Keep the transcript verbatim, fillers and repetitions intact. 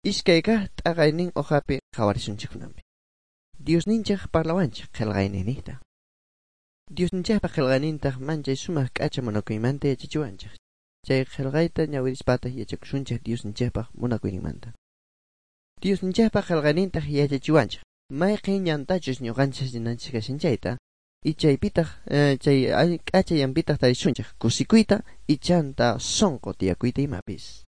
Iskay kaq t'aqaynin hojapi qhawarisunchik kunanpi. Diosninchik parlawanchik qillqayninta. Diosninchikpa qillqaynintaq manchay sumaq k'acha munakuymanta yachachiwanchik. Chay qillqayta ñawirispataq yachakusunchik Diosninchikpaq munakuyninmanta. Diosninchikpa qillqaynintaq yachachiwanchik. Mayqin ñantachus ñuqanchik rinanchik kashan chayta, y chaypitaq chay k'acha ñanpitaq tarisunchik kusikuyta y chanta sunqu tiyakuyta imapis.